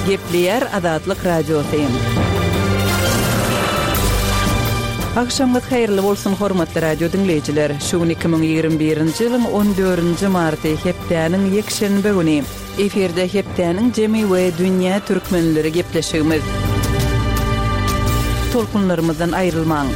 Gepleýär Azatlyk Radiosy. Agşamyňyz haýyrly bolsun hormatly radio diňleýjiler. Şu gün 2021-nji ýylyň 14-nji marty, hepdäniň ýekşenbe güni. Efirde hepdäniň jemi we dünýä türkmenleri gepleşigimiz. Tolkunlarymyzdan aýrylmaň.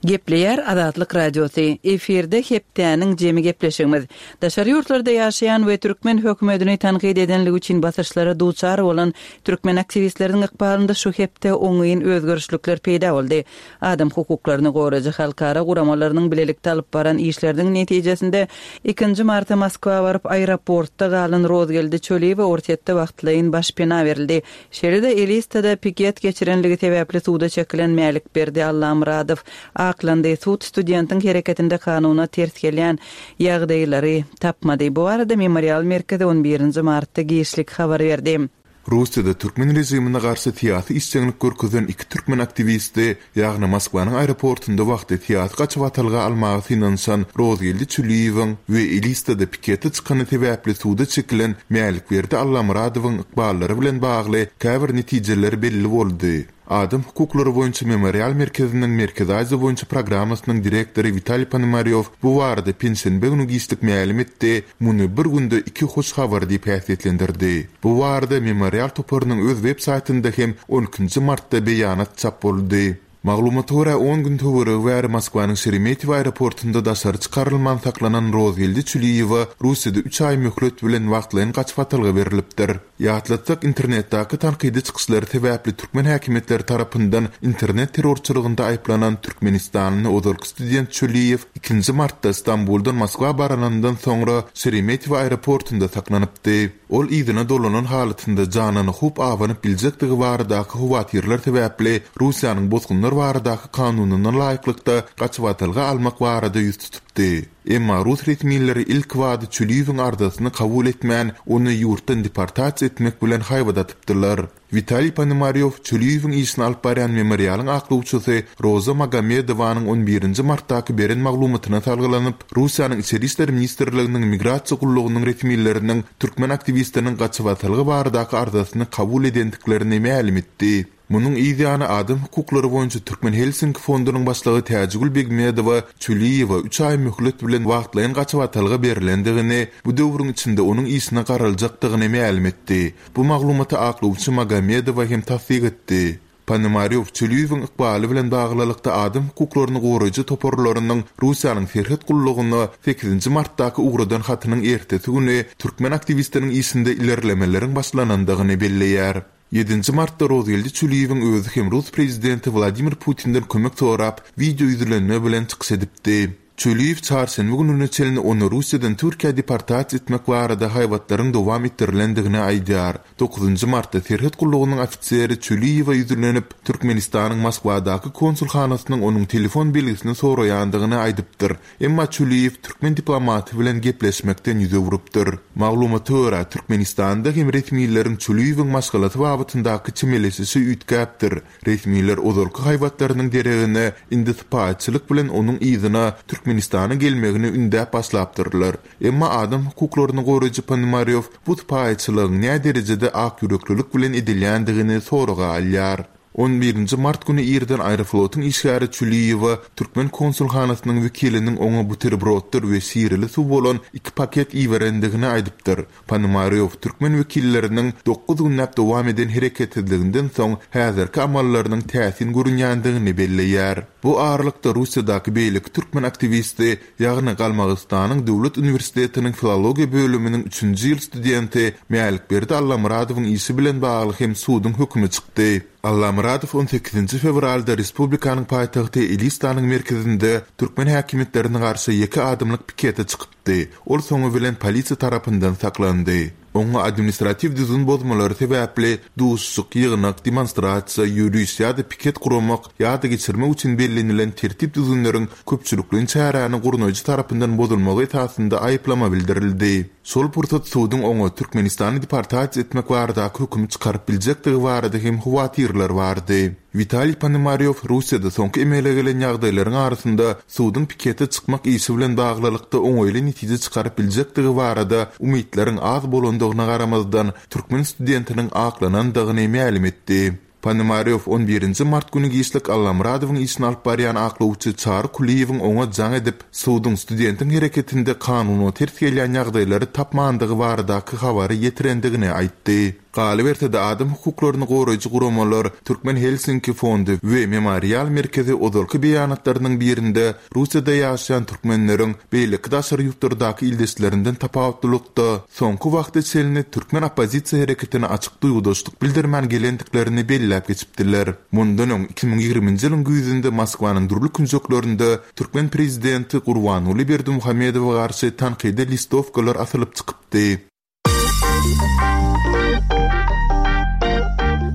Gepleýär Azatlyk Radiosy, efirde hepdäniň jemi gepleşigimiz. Daşary ýurtlarda ýaşaýan we türkmen hökümetini tankyt edenligi üçin basyşlara duçar bolan türkmen aktiwistleriniň ykbalynda şu hepde oňyn özgerişlikler peýda boldy. Adam hukuklaryny goraýjy halkara guramalarynyň bilelikde alyp baran işleriniň netijesinde ikinji marta Moskwa baryp aeroportda galan Rozgeldi Çöliýewe Orsýetde wagtlaýyn başpena berildi. Şeýle-de Elistada piket geçirenligi sebäpli suda çekilen Mälikberdi Allamyradow aklandy. Sud studentiň hereketinde kanuna ters gelýän ýagdaýlary tapmady. Bu barada Memorial merkezi on birinji martda giçlik habar berdi. Russiýada türkmen režimine garşy syýasy işjeňlik görkezen iki türkmen aktiwisti, ýagny Moskwanyň aeroportunda wagty syýasy gaçybatalga almaga synanyşan Rozgeldi Çüliýewiň we Elistada pikete çykany sebäpli suda çekilen Mälikberdi Allamyradowyň ykballary bilen bagly käbir netijeler belli boldy. Adam hukuklary boýunça Memorial merkeziniň Merkezi Aziýa boýunça programmasynyň direktory Witaliý Ponomarýow bu barada penşenbe güni giçlik mälim etdi, muny bir günde iki hoş habar diýip häsiýetlendirdi. Bu barada Memorial toparynyň öz web saýtynda hem on ikinji martda beýanat çap boldy. Maglumata görä, on gün töweregi bäri Moskwanyň Şeremetýewo aeroportynda daşary çykarylman saklanan Rozgeldi Çüliýewe Russiýada üç aý möhlet bilen wagtlaýyn gaçybatalga berlipdir. Ýatlatsak, internetdäki tankydy çykyşlary sebäpli türkmen häkimiýetleri tarapyndan internet terrorçylygynda aýyplanan türkmenistanly ozalky student Çöliýew ikinji martda Stambuldan Moskwa baranyndan soňra Şeremetýewo aeroportynda saklanypdy. Ol yzyna dolanan halatynda janyna howp abanyp biljekdigi baradaky howatyrlar sebäpli Russiýanyň bosgunlar baradaky kanunyna laýyklykda gaçybatalga almak barada ýüz tutupdy. Emma rus resmileri ilkibada Çüliýewiň arzasyny kabul etmän, ony ýurtdan deportasiýa etmek bilen haýbat atypdylar. Witaliý Ponomarýow Çüliýewiň işini alyp barýan Memorialyň aklawçysy Roza Magomedowanyň on birinji martdaky beren maglumatyna salgylanyp, Russiýanyň Içeri işler ministrliginiň Migrasiýa gullugynyň resmileriniň türkmen aktiwistiniň gaçybatalga baradaky arzasyny kabul edendiklerini mälim etdi. Munuň yz ýany adam hukuklary boýunça Türkmen Helsinki fondunyň başlygy Täjigül Begmedowa Çüliýewe üç aý möhlet bilen wagtlaýyn gaçybatalga berlendigini, bu döwrüň içinde onuň işine garaljakdygyny mälim etdi. Bu maglumaty aklawçy Magomedowa hem tassyk etdi. Ponomarýow Çüliýewiň ykbaly bilen baglylykda adam hukuklaryny goraýjy toparlarynyň Russiýanyň serhet gullugyna sekizinji martdaky ugradan hatynyň ertesi güni türkmen aktiwistiniň işinde ilerlemeleriň başlanandygyny belleýär. Ýedinji martda Rozgeldi Çüliýewiň özi hem rus prezidenti Wladimir Putinden kömek sorap, wideo ýüzlenme bilen çykyş edipdi. Çüliýew çarşenbe gününe çenli ony Russiýadan Türkiýä deportasiýa etmek barada haýbatlaryň dowam etdirilendigini aýdýar. Dokuzynjy martda serhet gullugynyň ofiseri Çüliýewe ýüzlenip, Türkmenistanyň Moskwadaky konsulhanasynyň onuň telefon belgisini soraýandygyny aýdypdyr. Emma Çüliýew türkmen diplomaty bilen gepleşmekden ýüz öwrüpdir. Maglumata görä, Türkmenistanda hem resmileriň Çüliýewiň maşgalasy babatyndaky çemeleşişi üýtgäpdir. Resmiler ozalky haýbatlarynyň deregine, indi sypaýyçylyk bilen onuň yzyna Türkmenistana gelmegini ündäp başlapdyrlar. Emma adam hukuklaryny goraýjy Ponomarýow bu sypaýyçylygyň näderejede akýüreklilik bilen edilýändigini soraga alýar. On birinji mart güni irden Aeroflotyň işgäri Çüliýewa türkmen konsulhanasynyň wekiliniň oňa buterbroddyr we şireli suw bolan iki paket iberendigini aýdypdyr. Ponomarýow türkmen wekilleriniň dokuz günläp dowam eden hereketsizliginden soň häzirki amallarynyň täsin görünýändigini belleýär. Bu aralykda Russiýadaky beýleki türkmen aktiwisti, ýagny Galmagystanyň döwlet uniwersitetiniň filologiýa bölüminiň üçünji ýyl studenti Mälikberdi Allamyradowyň işi bilen bagly hem suduň hökümi çykdy. Allamyradow on sekizinji fewralda respublikanyň paýtagty Elistanyň merkezinde türkmen häkimiýetlerine garşy ýeke adamlyk pikete çykypdy. Ol soňy bilen polisiýa tarapyndan saklandy. Oňa administratiw düzgün bozmalary sebäpli duşuşyk, ýygnak, demonstrasiýa, ýöriş ýa-da piket guramak ýa-da geçirmek üçin bellenilen tertip-düzgünleriň köpçülikleýin çäräni gurnaýjy tarapyndan bozulmagy esasynda aýyplama bildirildi. Şol pursat suduň oňa Türkmenistana deportasiýa etmek baradaky hökümi çykaryp biljekdigi barada hem howatyrlar bardy. Witaliý Ponomarýow Russiýada soňky emele gelen ýagdaýlaryň arasynda suduň pikete çykmak işi bilen baglylykda oňaýly netije çykaryp biljekdigi barada umytlaryň az bolandygyna garamazdan, türkmen studentiniň aklanandygyny mälim etdi. Ponomarýow on birinji mart güni giçlik Allamyradowyň işini alyp barýan aklawçy Çary Kulyýewiň oňa jaň edip, suduň studentiň hereketinde kanuna ters gelýän ýagdaýlary tapmandygy baradaky habary ýetirendigini aýtdy. Galyberse-de, adam hukuklaryny goraýjy guramalar, Türkmen Helsinki fondy we Memorial merkezi ozalky beýanatlarynyň birinde Russiýada ýaşaýan türkmenleriň beýleki daşary ýurtlardaky ildeşlerinden tapawutlylykda, soňky wagta çenli türkmen oppozisiýa hereketine açyk duýgudaşlyk bildirmän gelendiklerini belläp geçipdiler. Mundan öň, 2020-nji ýylyň güýzünde Moskwanyň dürli künjeklerinde türkmen prezidenti Gurbanguly Berdimuhamedowa garşy tankydy listowkalar asylyp çykypdy.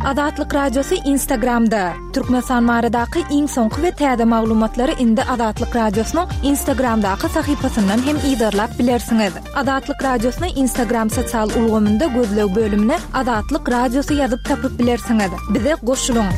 Azatlyk Radiosy Instagramda, Türkmenistan baradaky iň soňky we täze maglumatlary indi Azatlyk Radiosynyň Instagramdaky sahypasyndan hem yzarlap bilersiňiz. Azatlyk Radiosyny Instagram sosial ulgamynda gözleg bölümine Azatlyk Radiosy ýazyp tapyp bilersiňiz. Bize goşulyň!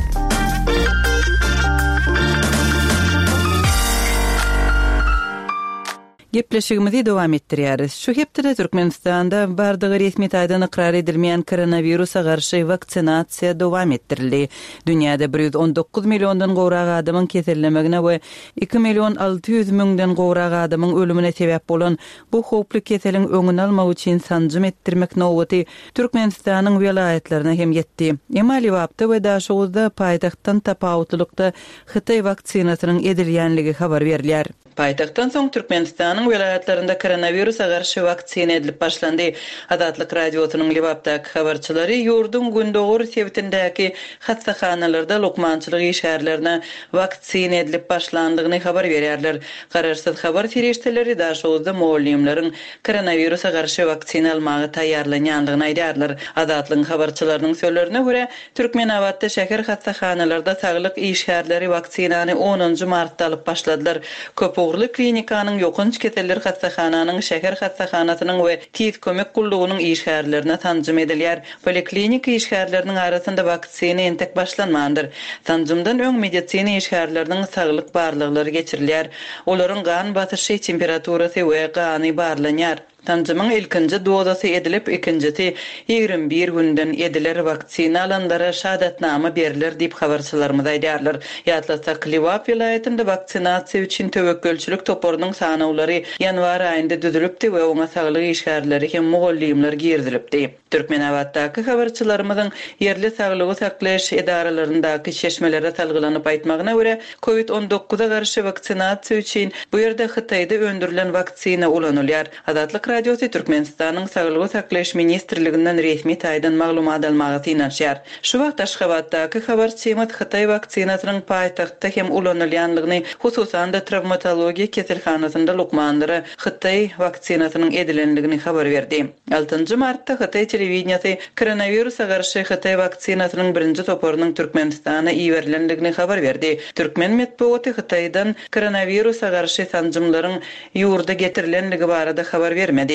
Gepleşigimizi dowam etdirýäris. Şu hepdede Türkmenistanda bardygy resmi taýdan ykrar edilmeýän koronawirusa garşy waksinasiýa dowam etdirildi. Dünýäde 119 milliondan gowrak adamyň kesellemegine we 2 million 600 müňden gowrak adamyň ölümine sebäp bolan bu howply keseliň öňüni almak üçin sanjym etdirmek nobaty Türkmenistanyň welaýatlaryna hem ýetdi. Emma Lebapda we Daşoguzda paýtagtdan tapawutlylykda hytaý waksinasynyň edilýänligi habar berilýär. Paýtagtdan soň Türkmenistanyň welaýatlarynda koronawirusa garşy waksina edilip başlandy. Azatlyk Radiosynyň Lebapdaky habarçylary ýurduň gündogar sebitindäki hassahanalarda lukmançylyk işgärlerine waksina edilip başlandygyny habar berýärler. Garaşsyz habar serişdeleri Daşoguzda mugallymlaryň koronawirusa garşy waksina almaga taýýarlanýandygyny aýdýarlar. Azatlygyň habarçylarynyň sözlerine görä, Türkmenabatda şäher hassahanalarda saglyk işgärleri waksinany onunjy martda alyp başladylar. Köpugurly klinikanyň, ýokanç keseller hassahananyň, şäher hassahanasynyň we tiz kömek gullugynyň işgärlerine sanjym edilýär. Poliklinika işgärleriniň arasynda waksina entek başlanmandyr. Sanjymdan öň medisina işgärleriniň saglyk barlaglary geçirilýär. Olaryň gan basyşy, temperaturasy we gany barlanýar. Sanjymyň ilkinji dozasy edilip, ikinjisi 21 günden ediler, waksina alanlara şahadatnama berler diýip, habarçylarymyz aýdýarlar. Ýatlatsak, Lebap welaýatynda waksinasiýa üçin töwekgelçilik toparynyň sanawlary ýanwar aýynda düzülipdi we oňa saglyk işgärleri hem mugallymlar girizilipdi. Türkmenabatdaky habarçylarymyzyň ýerli saglygy saklaýyş edaralaryndaky çeşmelere salgylanyp aýtmagyna görä, Covid on dokuza garşy waksinasiýa üçin bu ýerde Hytaýda öndürilen waksina ulanylýar. Azatlyk Radiosy Türkmenistanyň Saglygy saklaýyş ministrliginden resmi taýdan maglumat almaga synanyşýar. Şu wagt Aşgabatdaky habarçymyz hytaý waksinasynyň paýtagtda hem ulanylýanlygyny, hususan-da trawmatologiýa keselhanasynda lukmanlara hytaý waksinasynyň edilenligini habar berdi. Altynjy martda hytaý telewideniýesi koronawirusa garşy hytaý waksinasynyň birinji toparynyň Türkmenistana iberilendigini habar berdi. Türkmen metbugaty Hytaýdan koronawirusa garşy sanjymlaryň ýurda getirilendigi barada habar bermedi.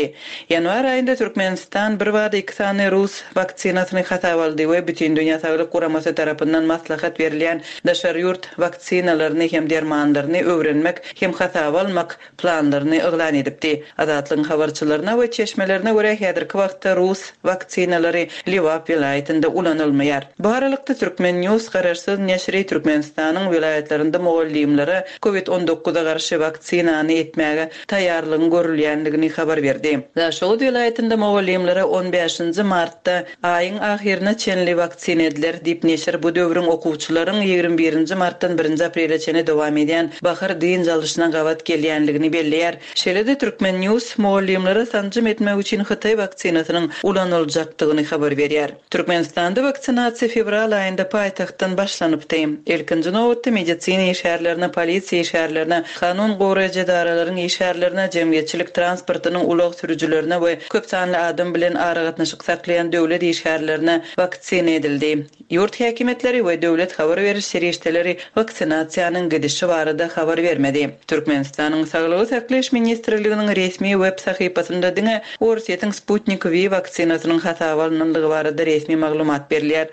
Ýanwar aýynda Türkmenistan birbada iki sany rus waksinasyny hasaba aldy we Bütindünýä Saglyk Guramasy tarapyndan maslahat berilýän daşary ýurt waksinalaryny hem dermanlaryny öwrenmek hem hasaba almak planlaryny yglan edipdi. Azatlygyň habarçylaryna we çeşmelerine görä, häzirki wagtda rus waksinalary Lebap welaýatynda ulanylmaýar. Bu aralykda, Turkmen. News garaşsyz neşiri Türkmenistanyň welaýatlarynda mugallymlara Covid on dokuza garşy waksinany etmäge taýýarlygyň görülýändigini habar berdi. Daşoguz welaýatynda mugallymlara on bäşinji martda Aýyň ahyryna çenli waksina ediler, diýip, neşir bu döwrüň okuwçylaryň 21 nji martdan birinji aprele çenli dowam edýän bahar dynç alyşyna gabat gelýänligini belleýär. Şeýle-de Turkmen. News mugallymlara sanjym etmek üçin hytaý waksinasynyň ulanyljakdygyny habar berýär. Türkmenistanda waksinasiýa fewral aýynda paýtagtdan başlanypdy. Ilkinji nobatda medisina işgärlerine, polisiýa işgärlerine, kanun goraýjy edaralaryň işgärlerine, jemgyýetçilik transportynyň ulag sürüjilerine we köp sanly adam bilen aragatnaşyk saklaýan döwlet işgärlerine waksina edildi. Ýurt häkimiýetleri we döwlet habar beriş serişdeleri waksinasiýanyň gidişi barada habar bermedi. Türkmenistanyň Saglygy saklaýyş ministrliginiň resmi web sahypasynda diňe Orsýetiň Sputnik V waksinasynyň hasaba alnandygy barada resmi maglumat berilýär.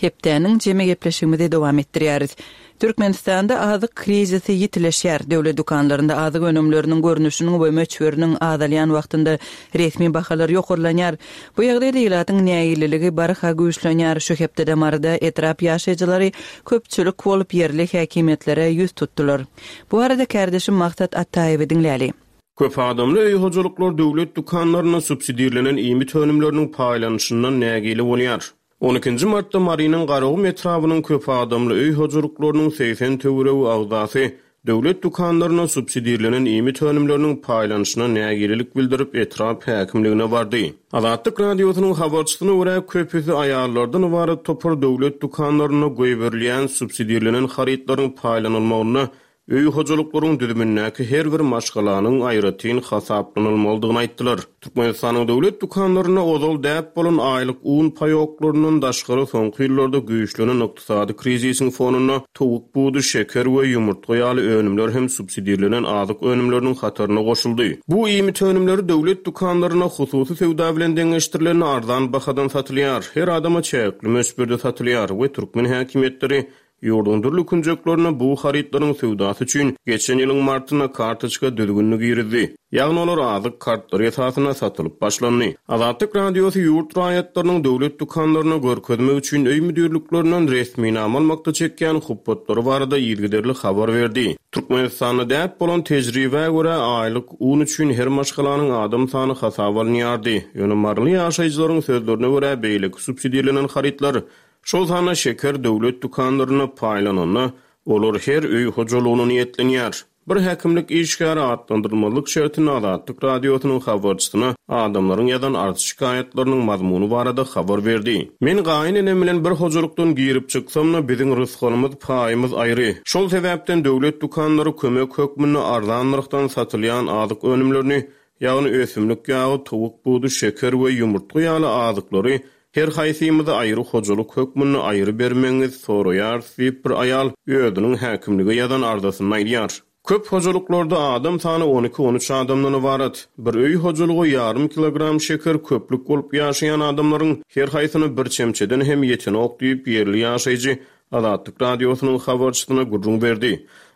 Hepdäniň jemi gepleşigimizi dowam etdirýäris. Türkmenistanda azyk krizisi ýitileşýär. Döwlet dükanlarynda azyk önümleriniň görnüşiniň we möçberiniň azalýan wagtynda resmi bahalar ýokarlanýar. Bu ýagdaýda ilatyň nägileligi barha güýçlenýär. Şu hepdede Maryda etrap ýaşaýjylary köpçülik bolup ýerli häkimiýetlere ýüz tutdular. Bu barada kärdeşim Maksat Ataýewi diňläli. Köp adamly öý hojalyklar döwlet dükanlarynda subsidirlenen iýmit önümleriniň paýlanyşyndan nägile bolýar. On ikinji martda Marynyň Garagum etrabynyň köp adamly öý hojalyklarynyň 80 töweregi agzasy döwlet dükanlarynda subsidirlenen iýmit önümleriniň paýlanyşyna nägilelik bildirip, etrap häkimligine bardy. Azatlyk Radiosynyň habarçysyna görä, köpüsi aýallardan ybarat topar döwlet dükanlarynda goýberilýän subsidirlenen harytlaryň paýlanylmagynda Öý hojalyklaryň düzümindäki her bir maşgalanyň aýratyn hasaplanylmalydygyny aýtdylar. Türkmenistanyň döwlet dükanlarynda ozal däp bolan aýlyk un paýoklaryndan daşgary soňky ýyllarda güýçlenen ykdysady krizisiň fonunda towuk budy, şeker we ýumurtga ýaly önümler hem subsidirlenen azyk önümleriniň hataryna goşuldy. Bu iýmit önümleri döwlet dükanlarynda hususy söwda bilen deňeşdirilende arzan bahadan satylýar, her adama çäkli möçberde satylýar we türkmen häkimiýetleri Ýurduň dürli künjeklerinde bu harytlaryň söwdasy üçin geçen ýylyň martynda kartoçka düzgünini girizdi. Ýagny olar azyk kartlary esasynda satylyp başlandy. Azatlyk Radiosy ýurt raýatlarynyň döwlet dükanlaryna görkezmek üçin öý müdirliklerinden resminama almakda çekýän hupbatlary barada yzygiderli habar berdi. Türkmenistanda däp bolan tejribä görä, aýlyk un üçin her maşgalanyň adam sany hasaba alynýardy. Ýöne maryly ýaşaýjylaryň sözlerine görä, beýleki subsidirlenen harytlar Şol sanda şeker döwlet dükanlarynda paýlananda, olar her öý hojalygyna niýetlenýär. Bir häkimlik işgäri atlandyrylmazlyk şertinde Azatlyk Radiosynyň habarçysyna adamlaryň ýazan arz-şikaýatlarynyň mazmuny barada habar berdi. Men gaýyn enem bilen bir hojalykdan girip çyksam-da, biziň rysgalymyz, paýymyz aýry. Şol sebäpden döwlet dükanlary kömek hökmünde arzan nyrhdan satylýan azyk önümlerini, ýagny ösümlik ýagy, towuk budy, şeker we ýumurtga ýaly azyklary Her haýsymyzy aýry hojalyk hökmünde aýry bermegiňizi soraýarys diýip, bir aýal özüniň häkimlige ýazan arzasynda aýdýar. Köp hojalyklarda adam sany on iki-on üç adamdan ybarat. Bir öý hojalyga ýarym kilogram şeker köplük bolup ýaşaýan adamlaryň her haýsyna bir çemçeden hem ýetenok diýip, ýerli ýaşaýjy Azatlyk Radiosynyň habarçysyna gürrüň berdi.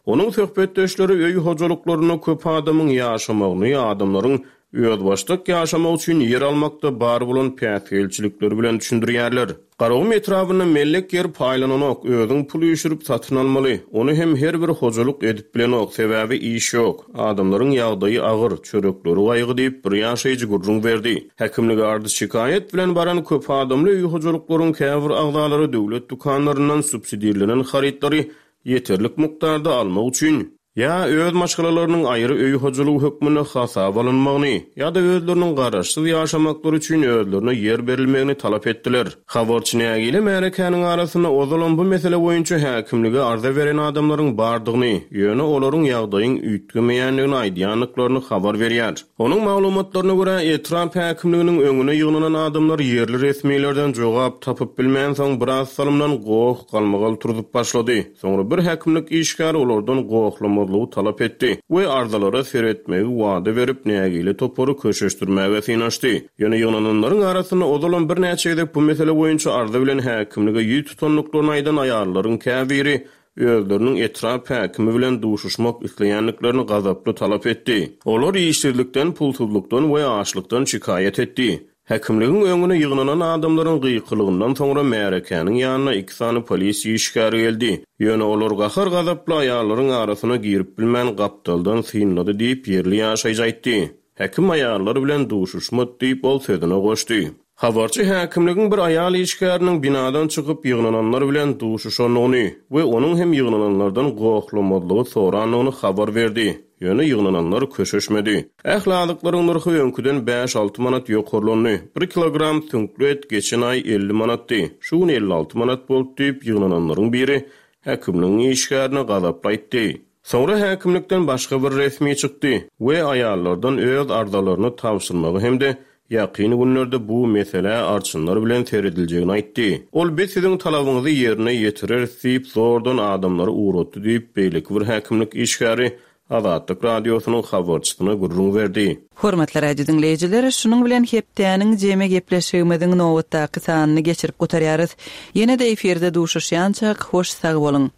Onuň söhbetdeşleri öý hojalyklarynda köp adamyň ýaşamagyny, adamlaryň özbaşdak ýaşamak üçin ýer almakda bar bolan päsgelçilikleri bilen düşündirýärler. Garagum etrabynda mellek ýer paýlananok, özüň pul üýşürip satyn almaly. Ony hem her bir hojalyk edip bilenok, sebäbi iş ýok. Adamlaryň ýagdaýy agyr, çörekleri gaýgy diýip, bir ýaşaýjy gürrüň berdi. Häkimlige arz-şikaýat bilen baran köp adamly öý hojalyklaryň käbir agzalary döwlet dükanlaryndan subsidirlenen harytlary ýeterlik mukdarda almak üçin, ýa öz maşgalalarynyň aýry öý hojalygy hökmünde hasaba alynmagyny, ýa-da özleriniň garaşsyz ýaşamaklary üçin özlerine ýer berilmegini talap etdiler. Habarçy nägile märekäniň arasynda ozalam bu mesele boýunça häkimlige arza beren adamlaryň bardygyny, ýöne olaryň ýagdaýyň üýtgemeýändigini aýdýandyklaryny habar berýär. Onuň maglumatlaryna görä, etrap häkimliginiň öňüne ýygnanan adamlar ýerli resmilerden jogap tapyp bilmänsoň, biraz salymdan goh-galmagal turzup başlady. Soňra bir häkimlik işgäri olardan gohlamazlygy talap etdi we arzalara seretmegi wada berip, nägile topary köşeşdirmäge synanyşdy. Ýöne ýygnananlaryň arasynda ozalam birnäçe gezek bu mesele boýunça arza bilen häkimlige ýüz tutandyklaryny aýdan aýallaryň käbiri özleriniň etrap häkimi bilen duşuşmak isleýändiklerini gazaply talap etdi. Olar işsizlikden, pulsuzlykdan we açlykdan şikaýat etdi. Häkimligiň öňüne ýygnanan adamlaryň gykylygyndan soňra märekäniň ýanyna iki sany polisiýa işgäri geldi. Ýöne olar gahar-gazaply aýallaryň arasyna girip bilmän gapdaldan synlady diýip, ýerli ýaşaýjy aýtdy. Häkim aýallar bilen duşuşmady diýip, ol sözüne goşdy. Habarçy häkimligiň bir aýal işgäriniň binadan çykyp ýygnananlar bilen duşuşandygyny we onuň hem ýygnananlardan gohlamazlygy sorandygyny habar berdi. Ýöne ýygnananlar köşeşmedi. Ähli azyklaryň nyrhy öňküden bäş-alty manat ýokarlandy. Bir kilogram süňkli et geçen aý 50 manatdy. Şu gün 56 manat boldy diýip, ýygnananlaryň biri häkimligiň işgärine gazaply aýtdy. Soňra häkimlikden başga bir resmi çykdy we aýallardan öz arzalaryny tabşyrmagy hem-de ýakyn günlerde bu meselä arçynlar bilen serediljegini aýtdy. Ol biz siziň talabyňyzy ýerine ýetireris diýip, zordan adamlary ugratdy diýip, beýleki bir häkimlik işgäri. Azatlyk Radiosynyň habarçysyna gürrüň berdi. Hormatly radio diňleýjiler, şunuň bilen hepdäniň jemi gepleşigimiziň nobatdaky sanyny geçirip gutarýarys. Ýene-de efirde duşuşýançak, hoş sag boluň!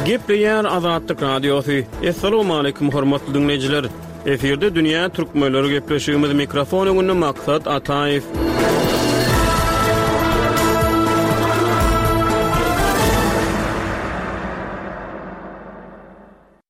Gepleýär Azatlyk Radiosy. Assalamualaikum hormatly diňleýjiler. Efirde dünýä türkmenleri gepleşigimiz mikrofon öňünde Maksat Ataýew.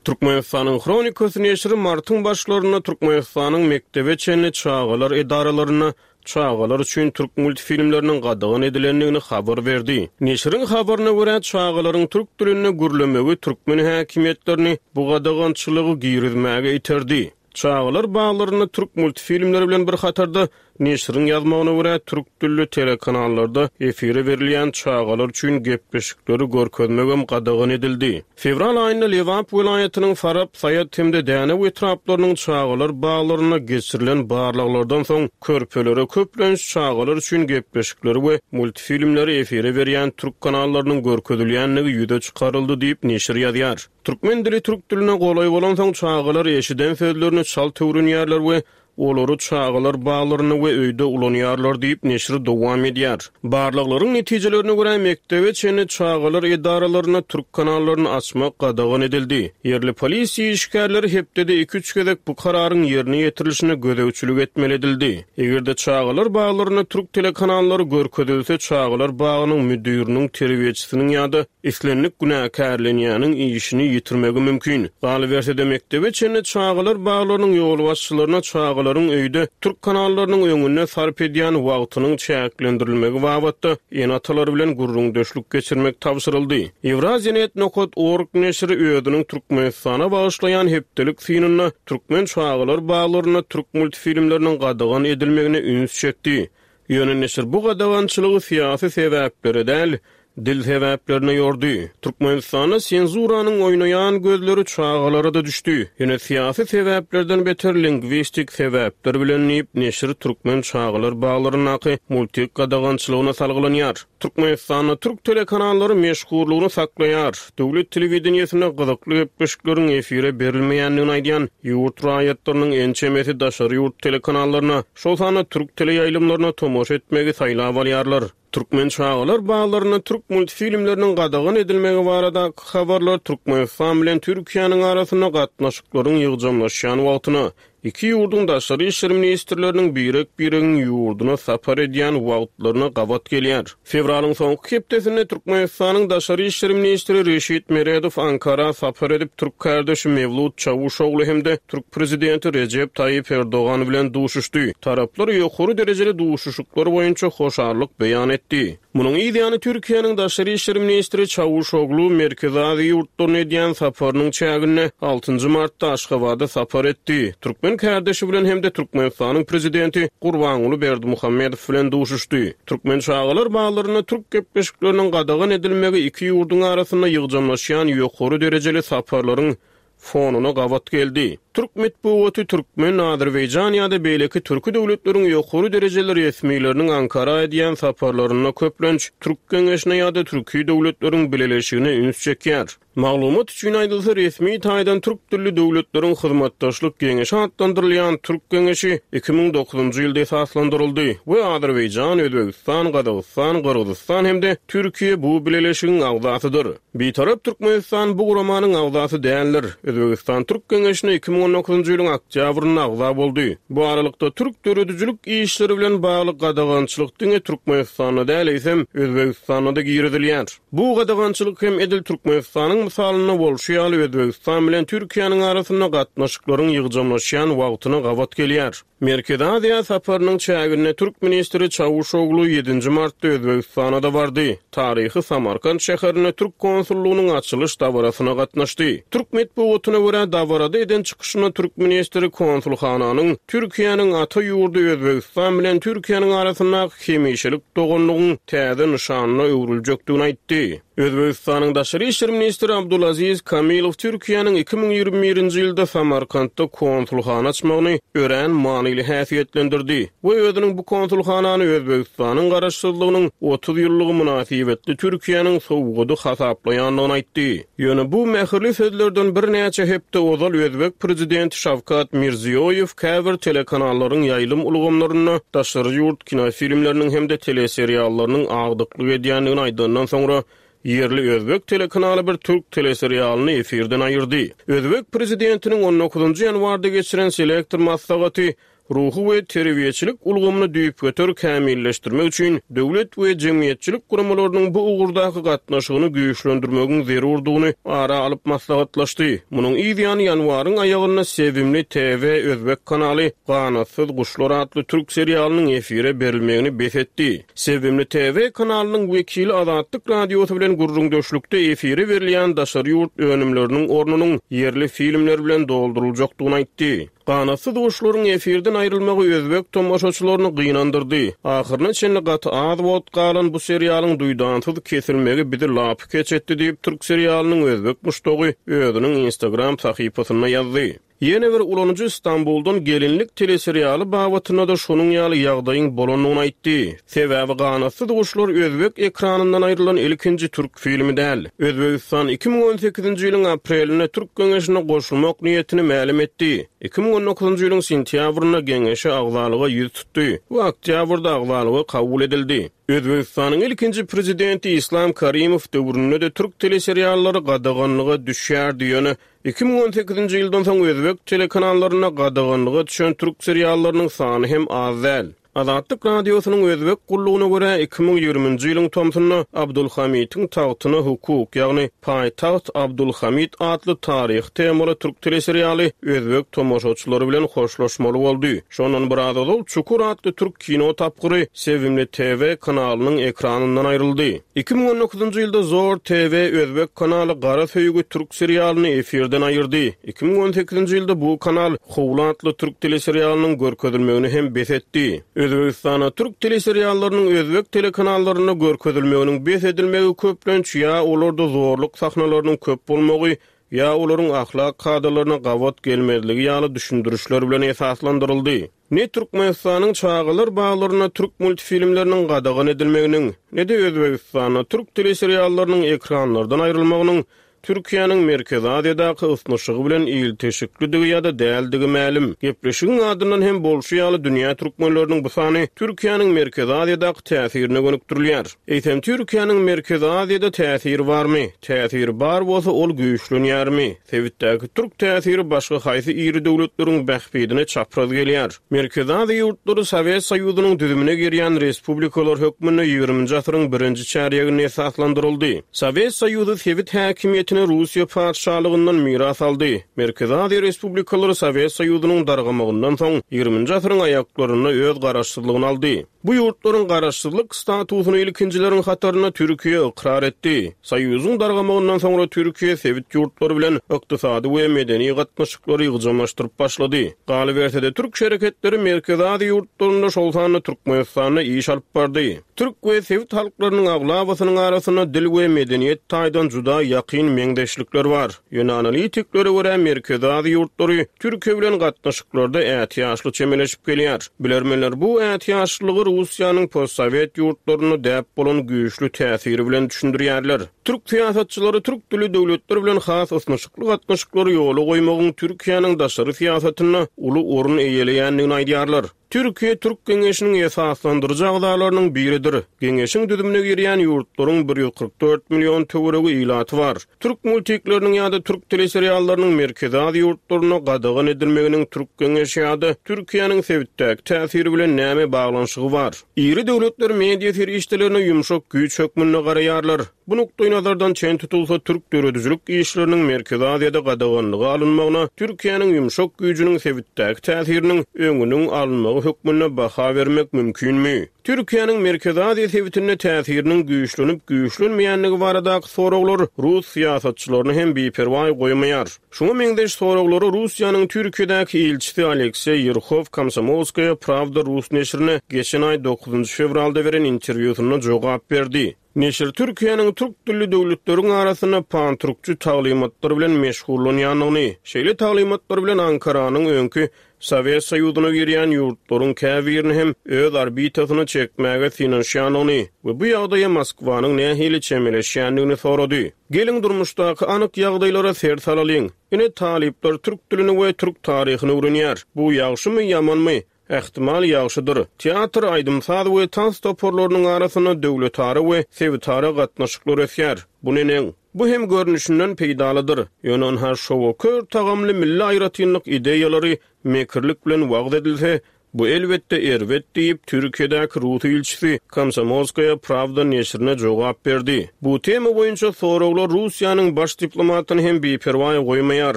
Türkmenistanyň Hronikasy neşiri martyň başlarynda Türkmenistanyň mekdebe çenli çagalar edaralarynda çagalar üçin türk multfilmleriniň gadagan edilendigini habar berdi. Neşiriň habaryna görä, çagalaryň türk dilinde gürlemegi türkmen häkimiýetlerini bu gadagançylygy girizmäge iterdi. Çagalar baglarynda türk multfilmleri bilen bir hatarda, neşiriň ýazmagyna görä, türk dilli telekanallarda efire berilýän çagalar üçin gepleşikleri görkezmegem gadagan edildi. Fewral aýynda Lebap welaýatynyň Farap, Saýat hem-de Dänew etraplarynyň çagalar baglarynda geçirilen barlaglardan soň, körpelere köplenç çagalar üçin gepleşikleri we multfilmleri efire berýän türk kanallarynyň görkezilýändigi ýüze çykaryldy diýip, neşir ýazýar. Türkmen dili türk diline golaý bolansoň, çagalar eşiden sözlerini çalt öwrenýärler we olary çagalar baglarynda we öýde ulanýarlar diýip, neşir dowam edýär. Barlaglaryň netijelerine görä, mekdebe çenli çagalar edaralarynda türk kanallaryny açmak gadagan edildi. Ýerli polisiýa işgärleri hepdede iki-üç gezek bu kararyň ýerine ýetirilişine gözegçilik etmeli edildi. Eger-de çagalar baglarynda türk telekanallary görkezilse, çagalar bagynyň müdiriniň, terbiýeçisiniň ýa-da Islendik günäkärlenýäniň işini ýitirmegi mümkin. Galyberse-de, mekdebe çenli çagalar baglarynyň ýolbaşçylaryna çagalaryň öýde türk kanallarynyň öňünde sarp edýän wagtynyň çäklendirilmegi babatda ene-atalar bilen gürrüňdeşlik geçirmek tabşyryldy. Ýewraziýanet nokat org neşiri özüniň Türkmenistana bagyşlaýan hepdelik synynda türkmen çagalar baglarynda türk multfilmleriniň gadagan edilmegine üns çekdi. Ýöne neşir bu gadagançylygy syýasy sebäplere däl, dil sebäplerine ýordy. Türkmenistanda senzuranyň oýnaýan gözleri çagalara-da düşdi. Ýöne syýasy sebäplerden beter lingwistik sebäpler bilen diýip, neşir türkmen çagalar baglaryndaky multik gadagançylygyna salgylanýar. Türkmenistanda türk telekanallary meşhurlygyny saklaýar. Döwlet telewideniýesinde gyzykly gepleşikleriň efire berilmeýändigini aýdýan ýurt raýatlarynyň ençemesi daşary ýurt telekanallaryna, şol sanda türk teleýaýlymlaryna tomaşa etmegi saýlap alýarlar. Türkmen çagalar baglarynda türk multfilmleriniň gadagan edilmegi baradaky habarlar Türkmenistan bilen Türkiýäniň arasynda gatnaşyklaryň ýygjamlaşýan wagtyna, Iki ýurduň daşary işler ministrleriniň birek-biregiň ýurduna sapar edýän wagtlaryna gabat gelýär. Fewralyň soňky hepdesinde Türkmenistanyň daşary işler ministri Reşit Meredow Ankara sapar edip, türk kärdeşi Mewlut Çawuşogly hem-de türk prezidenti Rejep Taýyp Erdogan bilen duşuşdy. Taraplar ýokary derejeli duşuşyklar boýunça hoşallyk beýan etdi. Munuň yz ýany Türkiýäniň daşary işler ministri Çawuşoglu Merkezi Aziýa ýurtlaryna edýän saparynyň çäginde altynjy martda Aşgabada sapar etdi. Türkmen kärdeşi bilen hem-de Türkmenistanyň Prezidenti Gurbanguly Berdimuhamedow bilen duşuşdy. Türkmen çagalar baglarynda türk gepleşikleriniň gadagan edilmegi iki ýurduň arasynda ýygjamlaşýan ýokary derejeli saparlaryň fonuna gabat geldi. Türk metbugaty türkmen, azerbaýjan ýa-da beýleki türki döwletleriň ýokary derejeli resmileriniň Ankara edýän saparlarynda köplenç Türk geňeşine ýa-da Türki döwletleriň bileleşigine üns çekýär. Maglumat üçin aýdylsa, resmi taýdan Türk dilli döwletleriň hyzmatdaşlyk geňeşi atlandyrylýan Türk geňeşi 2009-njy ýylda esaslandyryldy we Azerbaýjan, Özbegistan, Gazagystan, Gyrgyzystan hem-de Türkiýe bu bileleşigiň agzasydyr. Bitarap Türkmenistan bu guramanyň agzasy däldir. Özbegistan Türk Geňeşine 2019-njy ýylyň oktýabrynda agza boldy. Bu aralykda, türk döredijilik işleri bilen bagly gadagançylyk diňe Türkmenistanda däl, eýsem, Özbegistanda-da girizilýär. Bu gadagançylyk hem edil Türkmenistanyň mysalynda bolşy ýaly Özbegistan bilen Türkiýäniň arasynda gatnaşyklaryň ýygjamlaşýan wagtyna gabat gelýär. Merkezi Aziýa saparynyň çäginde türk ministri Çawuşoglu ýedinji martda Özbegistana-da bardy. Taryhy Samarkant şäherinde türk konsullygynyň açylyş dabarasyna gatnaşdy. Türk metbugatyna görä, dabarada eden çykyşynda türk ministri konsulhananyň Türkiýäniň ata ýurdy Özbegistan bilen Türkiýäniň arasyndaky hemişelik doganlygyň täze nyşanyna öwrüljekdigini aýtdy. Özbegistanyň daşary işler ministri Abdulaziz Kamilow Türkiýäniň 2021-nji ýylda Samarkantda konsulhana açmagyny örän manyly häsiýetlendirdi we özüniň bu konsulhanany Özbegistanyň garaşsyzlygynyň 30 ýyllygy mynasybetli Türkiýäniň sowgady hasaplaýandygyny aýtdy. Ýöne bu mähirli sözlerden birnäçe hepde ozal özbek prezidenti Şawkat Mirziýoýew käbir telekanallaryň ýaýlym ulgamlarynda daşary ýurt kinofilmleriniň hem-de teleseriallarynyň agdyklyk edýändigini aýdandan soňra, ýerli özbek telekanaly bir türk teleserialyny efirden aýyrdy. Özbek prezidentiniň on dokuzynjy ýanwarda geçiren selektor maslahaty ruhy we terbiýeçilik ulgamyny düýpgöter kämilleşdirmek üçin döwlet we jemgyýetçilik guramalarynyň bu ugurdaky gatnaşygyny güýçlendirmegiň zerurdygyny ara alyp maslahatlaşdy. Munuň yz ýany ýanwaryň aýagynda Sevimli TV özbek kanaly Ganatsyz guşlar atly türk serialynyň efire berilmegini bes etdi. Sevimli TV kanalynyň wekili Azatlyk Radiosy bilen gürrüňdeşlikde efire berilýän daşary ýurt önümleriniň ornunyň ýerli filmler bilen dolduryljakdygyny aýtdy. Ganatsyz guşlaryň efirden aýrylmagy özbek tomaşaçylaryny gynandyrdy. Ahyryna çenli gaty az wagt galan bu serialyň duýdansyz kesilmegi bizi lapykeç etdi diýip, türk serialynyň özbek muşdagy özüniň Instagram sahypasynda ýazdy. Ýene bir ulanyjy Stambuldan gelinlik teleserialy babatynda-da şonuň ýaly ýagdaýyň bolandygyny aýtdy. Sebäbi Ganatsyz guşlar özbek ekranyndan aýrylan ilkinji türk filmi däl. Özbegistan 2018-nji ýylyň aprelinde Türk geňeşine goşulmak niýetini mälim etdi. 2019-njy ýylyň sentýabrynda geňeşe agzalyga ýüz tutdy we oktýabrda agzalyga kabul edildi. Özbegistanyň ilkinji prezidenti Islam Karimow döwründe-de türk teleseriallary gadaganlyga düşýärdi, ýöne 2018-nji ýyldan soň özbek telekanallarynda gadaganlyga düşen türk seriallarynyň sany hem az däl. Azatlyk Radiosynyň Özbek gullugyna görä, 2020-nji ýylyň tomsunda Abdulhamitiň tagtyna hukuk, ýagny Paýtagt Abdulhamit atly taryhy temaly türk teleserialy özbek tomaşaçylary bilen hoşlaşmaly boldy. Şondan biraz ozal Çukur atly türk kino tapgyry Sevimli TV kanalynyň ekranyndan aýryldy. 2019-njy ýylda Zor TV özbek kanaly Gara söýgi türk serialyny efirden aýyrdy. 2018-nji ýylda bu kanal Howly atly türk teleserialynyň görkezilmegini hem bes etdi. Özbegistanda türk teleseriallarynyň özbek telekanallarynda görkezilmeginiň bes edilmegi köplenç ýa olarda zorluk sahnalarynyň köp bolmagy, ýa olaryň ahlak kadalaryna gabat gelmezligi ýaly düşündirişler bilen esaslandyryldy. Ne Türkmenistanyň çagalar baglarynda türk multfilmleriniň gadagan edilmeginiň, ne-de Özbegistanda türk teleseriallarynyň ekranlardan aýrylmagynyň Türkiýäniň Merkezi Aziýadaky ysnyşygy bilen ilteşiklidigi ýa-da däldigi mälim. Gepleşigiň adyndan hem bolşy ýaly dünýä türkmenleriniň bu sany Türkiýäniň Merkezi Aziýadaky täsirine gönükdirilýär. Eýsem Türkiýäniň Merkezi Aziýada täsiri barmy? Täsiri bar bolsa ol güýçlenýärmi? Sebitdäki türk täsiri başga haýsy iri döwletleriň bähbidine çapraz gelýär? Merkezi Aziýa ýurtlary Sowet Soýuzynyň düzümine girýän respublikalar hökmünde ýigriminji asyryň birinji çärýeginde esaslandyryldy. Sowet Soýuzy sebit häkimiýetini Russiýa patyşalygyndan miras aldy. Merkezi Aziýa respublikalary Sowet Soýuzynyň dargamagyndan soň, ýigriminji asyryň aýaklarynda öz garaşsyzlygyny aldy. Bu ýurtlaryň garaşsyzlyk statusyny ilkinjileriň hatarynda Türkiýe ykrar etdi. Soýuzyň dargamagyndan soňra Türkiýe sebit ýurtlary bilen ykdysady we medeni gatnaşyklary ýygjamlaşdyryp başlady. Galyberse-de, türk şereketleri Merkezi Aziýa ýurtlarynda, şol sanda Türkmenistanda iş alyp bardy. Türk we sebit halklarynyň aglabasynyň arasynda dil we medeniýet taýdan juda ýakyn meňzeşlikler bar. Ýöne analitiklere görä, Merkezi Aziýa ýurtlary Türkiýe bilen gatnaşyklarda ätiýaçly çemeleşip gelýär. Bilermenler bu ätiýaçlylygy Russiýanyň postsowet ýurtlarynda däp bolan güýçli täsiri bilen düşündirýärler. Türk syýasatçylary türk dilli döwletler bilen has ysnyşykly gatnaşyklary ýola goýmagyň Türkiýäniň daşary syýasatynda uly orun eýeleýändigini aýdýarlar. Türkiýe Türk Geňeşiniň esaslandyryjy agzalarynyň biridir. Geňeşiň düzümine girýän ýurtlaryň 144 million töweregi ilaty bar. Türk multikleriniň ýa-da türk teleseriallarynyň Merkezi Aziýa ýurtlarynda gadagan edilmeginiň Türk Geňeşi ýa-da Türkiýäniň sebitdäki täsiri bilen näme baglanyşygy bar? Iri döwletler media serişdelerine ýumşak güýç hökmünde garaýarlar. Bu nukdaýnazardan çen tutulsa, türk döredijilik işleriniň Merkezi Aziýada gadaganlyga alynmagyna Türkiýäniň ýumşak güýjüniň sebitdäki täsiriniň öňüniň alynmagy hökmünde baha bermek mümkinmi? Türkiýäniň Merkezi Aziýa sebitinde täsiriniň güýçlenip-güýçlenmeýändigi baradaky soraglar rus syýasatçylaryny hem biperwaý goýmaýar. Şuňa meňzeş soraglara Russiýanyň Türkiýedäki ilçisi Alekseý Ýerhow Komsomolskaýa Prawda rus neşirine geçen aý dokuzynjy fewralda beren interwýusynda jogap berdi. Neşir Türkiýäniň türk dilli döwletleriň arasynda pantürkçi taglymatlar bilen meşgullanýandygyny, şeýle taglymatlar bilen Ankaranyň öňki Sowet Soýuzyna girýän ýurtlaryň käbirini hem öz orbitasyna çekmäge synanyşýandygyny we bu ýagdaýa Moskwanyň nähili çemeleşýändigini sorady. Geliň, durmuşdaky anyk ýagdaýlara ser salalyň. Ine, talyplar türk dilini we türk taryhyny öwrenýär. Bu ýagşymy, ýamanmy? Ähtimal, ýagşydyr. Teatr, aýdym-saz we tans toparlarynyň arasynda döwletara we sebitara gatnaşyklar ösýär. Bu neneň? Bu hem görnüşinden peýdalydyr. Ýöne ynha şowa kör tagamly milli aýratynlyk ideýalary mekirlik bilen wagyz edilse, bu elbetde erbet diýip, Türkiýedäki rus ilçisi Komsomolskaýa Prawda neşirine jogap berdi. Bu tema boýunça soraglar Russiýanyň baş diplomatyny hem biperwaý goýmaýar.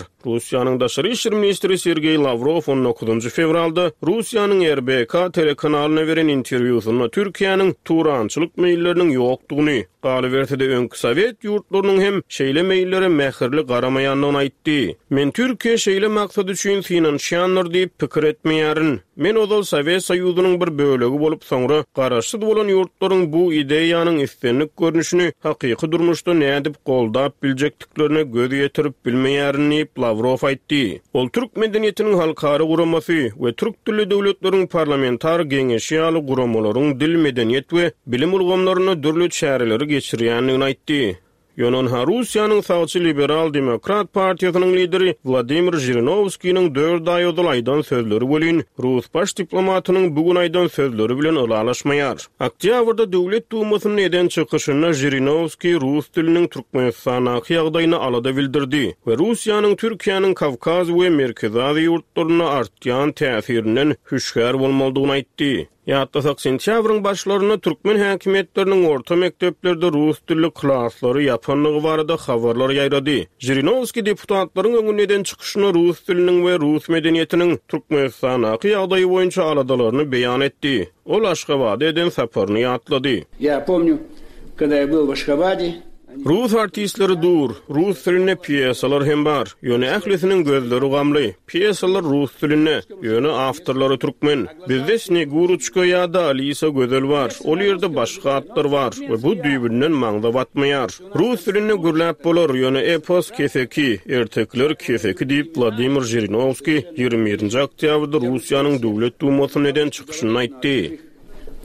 Russiýanyň daşary işler ministri Sergeý Lawrow on dokuzynjy fewralda Russiýanyň RBK telekanalyna beren interwýusynda Türkiýäniň turançylyk meýilleriniň ýokdugyny, galyberse-de öňki sowet ýurtlarynyň hem şeýle meýillere mähirli garamaýandygyny aýtdy. Men Türkiýe şeýle maksat üçin synanyşýandyr diýip pikir etmeýärin. Men ozal Sowet Soýuzynyň bir bölegi bolup, soňra garaşsyz bolan ýurtlaryň bu ideýanyň islendik görnüşini hakyky durmuşda nädip goldap biljekdiklerine göz ýetirip bilmeýärin diýip, Lawrow aýtdy. Ol Türk medeniýetiniň halkara guramasy we Türk dilli döwletleriň parlamentar geňeşi ýaly guramalaryň dil, medeniýet we bilim ulgamlarynda dürli çäreleri geçirýändigini aýtdy. Ýöne ynha Russiýanyň sagçy Liberal-demokrat partiýasynyň lideri Wladimir Žirinowskiniň dört aý ozal aýdan sözleri welin, rus baş diplomatynyň bu gün aýdan sözleri bilen ylalaşmaýar. Oktýabrda Döwlet Dumasynda eden çykyşynda Žirinowskiý rus diliniň Türkmenistandaky ýagdaýyna alada bildirdi we Russiýanyň Türkiýäniň Kawkaz we Merkezi Aziýa ýurtlarynda artýan täsirinden hüşgär bolmalydygyny aýtdy. Ýatlasak, sentýabryň başlarynda türkmen häkimiýetleriniň orta mekdeplerde rus dilli klaslary ýapandygy barada habarlar ýaýrady. Žirinowskiý deputatlaryň öňünde eden çykyşynda rus diliniň we rus medeniýetiniň Türkmenistandaky ýagdaýy boýunça aladalaryny beýan etdi. Ol Aşgabada eden saparyny ýatlady. Ýa pomnýu, kogda ýa byl w Aşgabade, Rus artistleri dur, rus dilinde pýesalar hem bar, ýöne ählisiniň gözleri gamly. Pýesalar rus dilinde, ýöne awtorlary türkmen. Bizde Sneguroçka ýa-da Alisa Gözel bar, ol ýerde başga atlar bar we bu düýbünden maňza batmaýar. Rus dilinde gürläp bolar, ýöne epos keseki, ertekiler keseki diýip, Wladimir Žirinowskiý 21-nji oktýabrda Russiýanyň Döwlet Dumasynda eden çykyşynda aýtdy.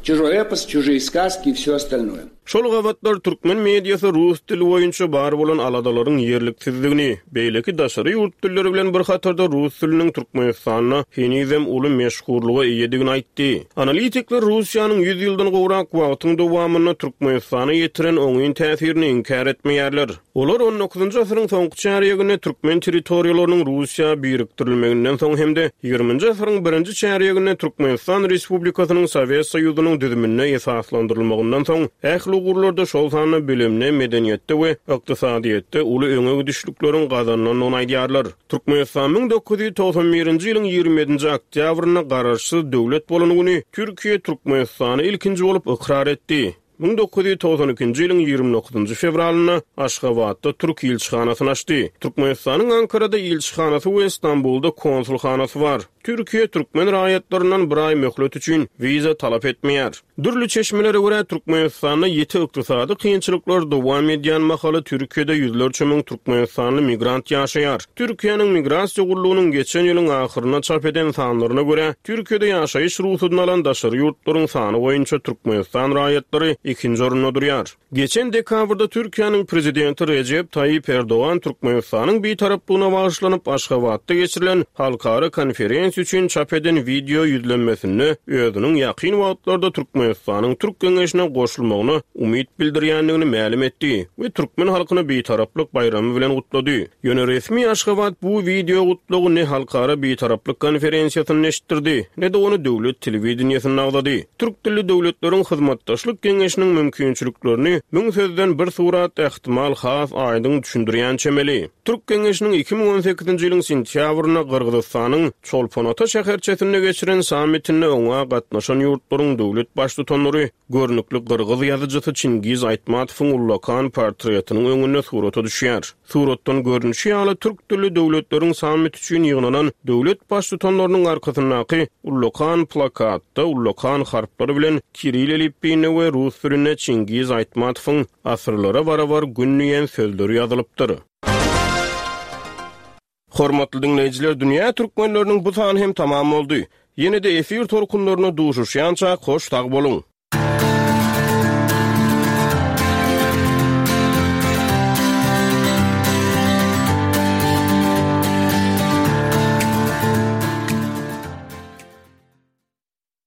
Çužoý epos, çužiý skazki i wsё ostalnoe. Şol gabatlar türkmen mediasy rus dili boýunça bar bolan aladalaryň ýerliksizdigini, beýleki daşary ýurt dilleri bilen bir hatarda rus diliniň Türkmenistanda henizem uly meşhurlyga eýedigini aýtdy. Analitikler Russiýanyň ýüz ýyldan gowrak wagtyň dowamynda Türkmenistana ýetiren oňyn täsirini inkär etmeýärler. Olar on dokuzynjy asyryň soňky çärýeginde türkmen territoriýalarynyň Russiýa birikdirilmeginden soň hem-de ýigriminji asyryň birinji çärýeginde Türkmenistan Respublikasynyň Sowet Soýuzynyň düzüminde esaslandyrylmagyndan soň ähli ugurlarda, şol sanda bilimde, medeniýetde we ykdysadyýetde uly öňe gidişlikleriň gazanylandygyny aýdýarlar. Türkmenistan 1991-nji ýylyň 27-nji oktýabrynda garaşsyz döwlet bolan güni Türkiýe Türkmenistany ilkinji bolup ykrar etdi. 1992-nji ýylyň 29-njy fewralynda Aşgabatda türk ilçihanasyny açdy. Türkmenistanyň Ankarada ilçihanasy we Stambulda konsulhanasy bar. Türkiýe türkmen raýatlaryndan bir aý möhlet üçin wiza talap etmeýär. Dürli çeşmelere görä, Türkmenistanda ýiti ykdysady kynçylyklar dowam edýän mahaly Türkiýede ýüzlerçe müň türkmenistanly migrant ýaşaýar. Türkiýäniň Migrasiýa gullugynyň geçen ýylyň ahyrynda çap eden sanlaryna görä, Türkiýede ýaşaýyş rugsadyny alan daşary ýurtlaryň sany boýunça Türkmenistan raýatlary ikinji orunda durýar. Geçen dekabrda Türkiýäniň Prezidenti Rejep Taýyp Erdogan Türkmenistanyň Bitaraplygyna bagyşlanyp Aşgabatda geçirilen halkara konferensiýa üçin çap eden wideo ýüzlenmesinde özüniň ýakyn wagtlarda Türkmenistanyň Türk Geňeşine goşulmagyna umyt bildirýändigini mälim etdi we türkmen halkyny Bitaraplyk baýramy bilen gutlady. Ýöne resmi Aşgabat bu wideo gutlagy ne Halkara Bitaraplyk konferensiýasynda eşitdirdi, ne-de ony döwlet telewideniýesinde agzady. Türk dilli döwletleriň hyzmatdaşlyk geňeşiniň mümkinçiliklerini müň sözden bir surat ähtimal has aýdyň düşündirýän çemeli. Türk geňeşiniň 2018-nji ýylyň sentýabrynda Gyrgyzystanyň Çolpon-Ata şäherçesinde geçiren sammitinde oňa gatnaşan ýurtlaryň döwlet. Baştutanlary görnükli gyrgyz ýazyjysy Çingiz Aýtmatowyň ullakan portretiniň öňünde surata düşýär. Suratdan görnüşi ýaly, türk dilli döwletleriň sammiti üçin ýygnanan döwlet Baştutanlarynyň arkasyndaky ullakan plakatda ullakan harplar bilen kiril elipbiýinde we rus dilinde Çingiz Aýtmatowyň Asyrlara barabar gün diýen sözleri ýazylypdyr. Hormatly diňleýjiler Dünýä Türkmenleriniň bu sany hem tamam boldy. Ýene-de efir tolkunlarynda duşuşýançak hoş sag boluň!